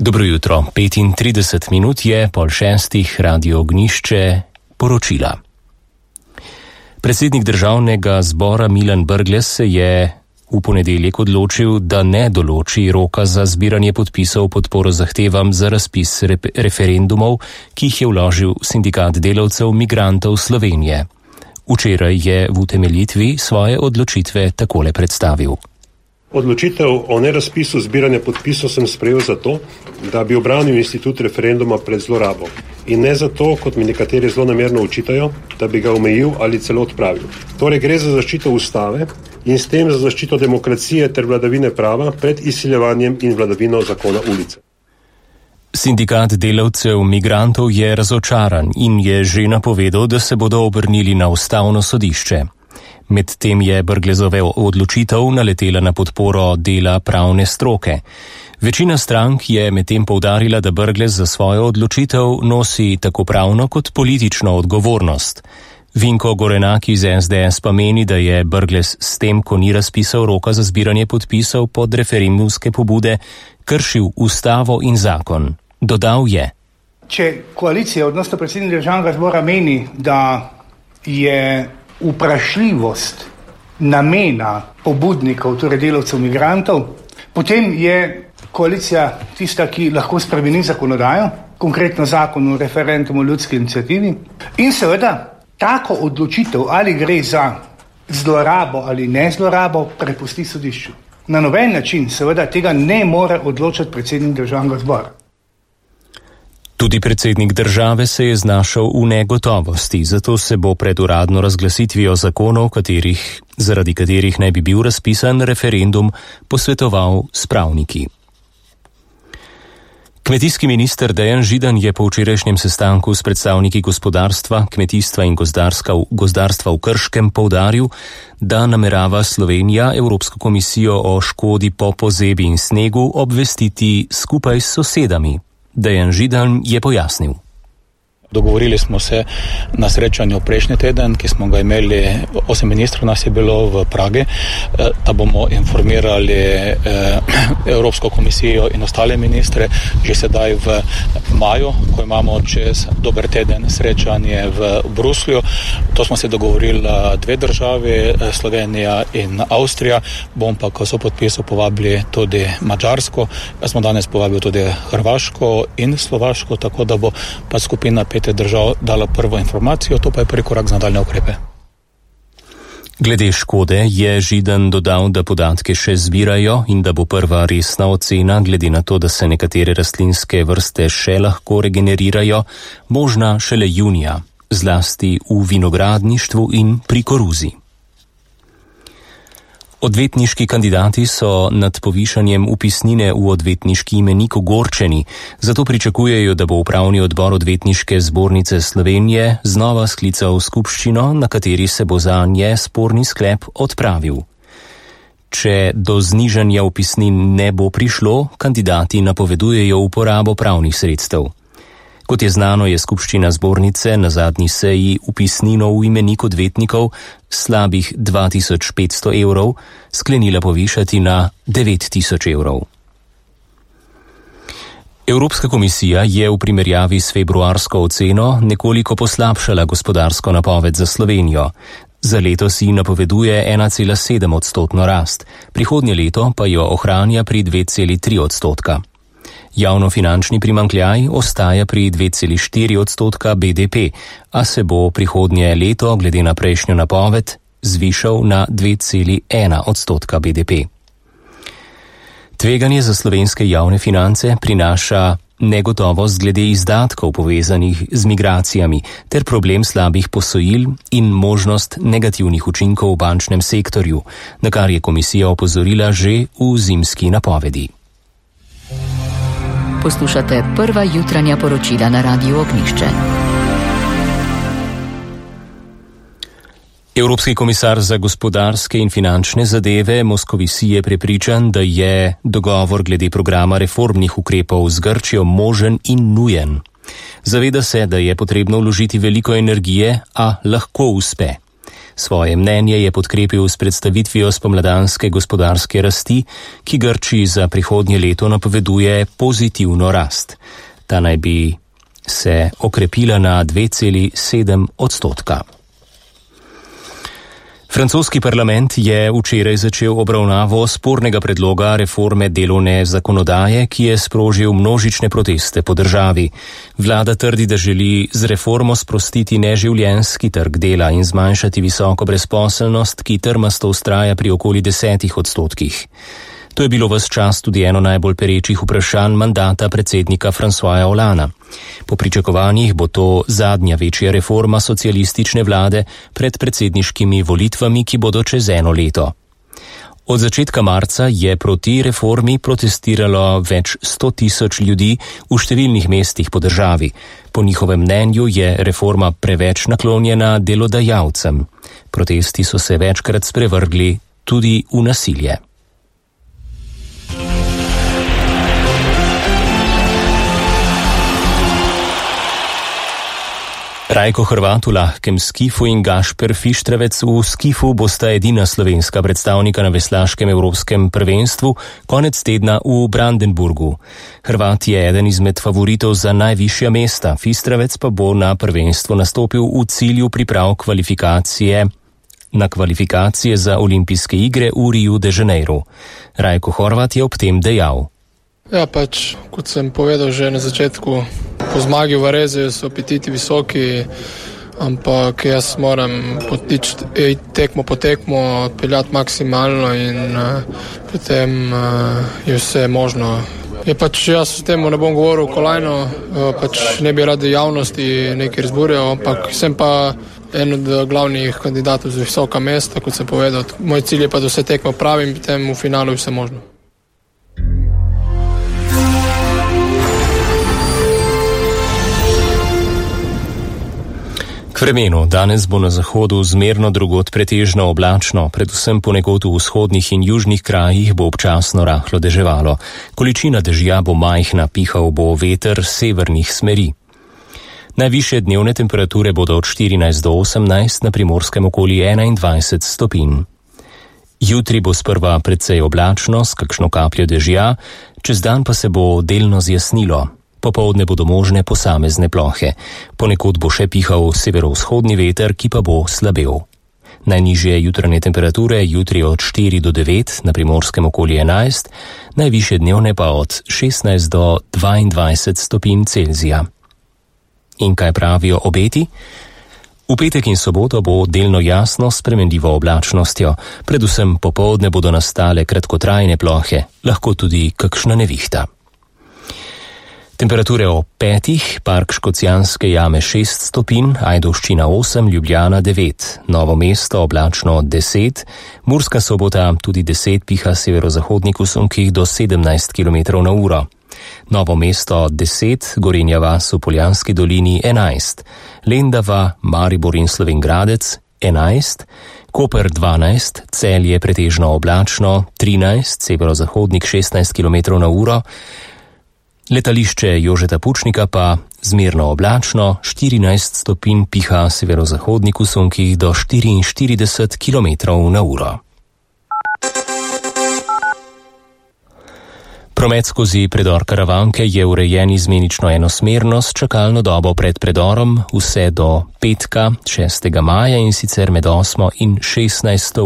Dobro jutro, 35 minut je, 5:30, Radio Ognjišče, poročila. Predsednik državnega zbora Milan Brglez se je v ponedeljek odločil, da ne določi roka za zbiranje podpisov podporo zahtevam za razpis referendumov, ki jih je vložil Sindikat delavcev migrantov Slovenije. Včeraj je v utemeljitvi svoje odločitve takole predstavil. Odločitev o nerazpisu zbiranja podpisov sem sprejel zato, da bi obranil institut referenduma pred zlorabo in ne zato, kot mi nekateri zlonamerno očitajo, da bi ga omejil ali celo odpravil. Torej gre za zaščito ustave in s tem za zaščito demokracije ter vladavine prava pred izsiljevanjem in vladavino zakona ulice. Sindikat delavcev migrantov je razočaran in je že napovedal, da se bodo obrnili na ustavno sodišče. Medtem je Brglezova odločitev naletela na podporo dela pravne stroke. Večina strank je medtem poudarila, da Brglez za svojo odločitev nosi tako pravno kot politično odgovornost. Vinko Gorenak iz SDS pa meni, da je Brglez s tem, ko ni razpisal roka za zbiranje podpisov pod referendumske pobude, kršil ustavo in zakon. Dodal je: Če koalicija, odnosno predsednik državnega zbora meni, da je vprašljivost namena pobudnikov, torej delavcev migrantov, potem je koalicija tista, ki lahko spremeni zakonodajo, konkretno zakon o referendumu o ljudski iniciativi, in seveda tako odločitev, ali gre za zlorabo ali ne zlorabo, prepusti sodišču. Na noben način seveda tega ne more odločati predsednik državnega zbora. Tudi predsednik države se je znašel v negotovosti, zato se bo pred uradno razglasitvijo zakonov, zaradi katerih naj bi bil razpisan referendum, posvetoval s pravniki. Kmetijski minister Dejan Židan je po včerajšnjem sestanku s predstavniki gospodarstva, kmetijstva in gozdarstva v Krškem poudaril, da namerava Slovenija Evropsko komisijo o škodi po pozebi in snegu obvestiti skupaj s sosedami. Dejan Židan je pojasnil. Dogovorili smo se na srečanju prejšnji teden, ki smo ga imeli, 8 ministrov nas je bilo v Pragi, da bomo informirali Evropsko komisijo in ostale ministre že sedaj v maju, ko imamo čez dober teden srečanje v Bruslju. To smo se dogovorili dve državi, Slovenija in Avstrija, bom pa, ko so podpisal, povabili tudi Madžarsko. Jaz smo danes povabili tudi Hrvaško in Slovaško, tako da bo pa skupina držav dala prvo informacijo, to pa je prvi korak za nadaljne ukrepe. Glede škode je Židan dodal, da podatke še zbirajo in da bo prva resna ocena, glede na to, da se nekatere rastlinske vrste še lahko regenerirajo, možna šele junija, zlasti v vinogradništvu in pri koruzi. Odvetniški kandidati so nad povišanjem vpisnine v odvetniški imenik ogorčeni, zato pričakujejo, da bo upravni odbor Odvetniške zbornice Slovenije znova sklical skupščino, na kateri se bo zanje sporni sklep odpravil. Če do znižanja vpisnin ne bo prišlo, kandidati napovedujejo uporabo pravnih sredstev. Kot je znano, je skupščina zbornice na zadnji seji vpisnino v imenik odvetnikov slabih 2500 evrov sklenila povišati na 9000 evrov. Evropska komisija je v primerjavi s februarsko oceno nekoliko poslabšala gospodarsko napoved za Slovenijo. Za letos ji napoveduje 1,7% rast, prihodnje leto pa jo ohranja pri 2,3%. Javnofinančni primanjkljaj ostaja pri 2,4% BDP, a se bo prihodnje leto glede na prejšnjo napoved zvišal na 2,1% BDP. Tveganje za slovenske javne finance prinaša negotovost glede izdatkov povezanih z migracijami ter problem slabih posojil in možnost negativnih učinkov v bančnem sektorju, na kar je komisija opozorila že v zimski napovedi. Poslušate prva jutranja poročila na Radiu Ognjišče. Evropski komisar za gospodarske in finančne zadeve Moscovici je prepričan, da je dogovor glede programa reformnih ukrepov z Grčijo možen in nujen. Zaveda se, da je potrebno vložiti veliko energije, a lahko uspe. Svoje mnenje je podkrepil s predstavitvijo spomladanske gospodarske rasti, ki Grčiji za prihodnje leto napoveduje pozitivno rast. Ta naj bi se okrepila na 2,7%. Francoski parlament je včeraj začel obravnavo spornega predloga reforme delovne zakonodaje, ki je sprožil množične proteste po državi. Vlada trdi, da želi z reformo sprostiti neživljenjski trg dela in zmanjšati visoko brezposelnost, ki trmasto vztraja pri okoli 10%. To je bilo ves čas tudi eno najbolj perečih vprašanj mandata predsednika Françoisa Hollandea. Po pričakovanjih bo to zadnja večja reforma socialistične vlade pred predsedniškimi volitvami, ki bodo čez eno leto. Od začetka marca je proti reformi protestiralo več 100.000 ljudi v številnih mestih po državi. Po njihovem mnenju je reforma preveč naklonjena delodajalcem. Protesti so se večkrat sprevrgli tudi v nasilje. Rajko Hrvat v lahkem skifu in Gašper Fištravec v skifu bosta edina slovenska predstavnika na veslaškem evropskem prvenstvu konec tedna v Brandenburgu. Hrvat je eden izmed favoritov za najvišja mesta, Fištravec pa bo na prvenstvo nastopil v cilju priprav kvalifikacije za olimpijske igre v Riu de Janeiro. Rajko Hrvat je ob tem dejal. Ja, kot sem povedal že na začetku, po zmagi v Varezi so apetiti visoki, ampak jaz moram tekmo po tekmo peljati maksimalno in potem je vse možno. Jaz s tem ne bom govoril kolajno, ne bi radi javnosti nekaj razburjal, ampak sem pa en od glavnih kandidatov za visoka mesta, kot sem povedal. Moj cilj je pa, da vse tekmo pravim, potem v finalu je vse možno. Vremenu. Danes bo na zahodu zmerno, drugod pretežno oblačno, predvsem ponekod v vzhodnih in južnih krajih bo občasno rahlo deževalo. Količina dežja bo majhna, pihal bo veter severnih smeri. Najvišje dnevne temperature bodo od 14 do 18, na Primorskem okoli 21 stopinj. Jutri bo sprva precej oblačno, s kakšno kapljo dežja, čez dan pa se bo delno zjasnilo. Popoldne bodo možne posamezne plohe. Ponekod bo še pihal severovzhodni veter, ki pa bo slabel. Najnižje jutranje temperature jutri od 4 do 9, na Primorskem okoli 11, najvišje dnevne pa od 16 do 22 stopinj Celzija. In kaj pravijo obeti? V petek in soboto bo delno jasno s spremenljivo oblačnostjo. Predvsem popoldne bodo nastale kratkotrajne plohe, lahko tudi kakšna nevihta. Temperature o 5, Park Škocjanske jame 6 stopinj, Ajdovščina 8, Ljubljana 9, Novo mesto oblačno 10, Murska Sobota tudi 10, piha severozahodnik v sunkih do 17 km/h. Novo mesto 10, Gorenja vas v Poljanski dolini 11, Lendava, Maribor in Slovenj Gradec 11, Koper 12, Celje pretežno oblačno 13, severozahodnik 16 km/h, Letališče Jožeta Pučnika pa zmerno oblačno, 14 stopinj, piha severozahodnik v sunkih do 44 km/h. Promet skozi predor Karavanke je urejen izmenično enosmerno s čakalno dobo pred predorom vse do petka 6. maja in sicer med 8. in 16.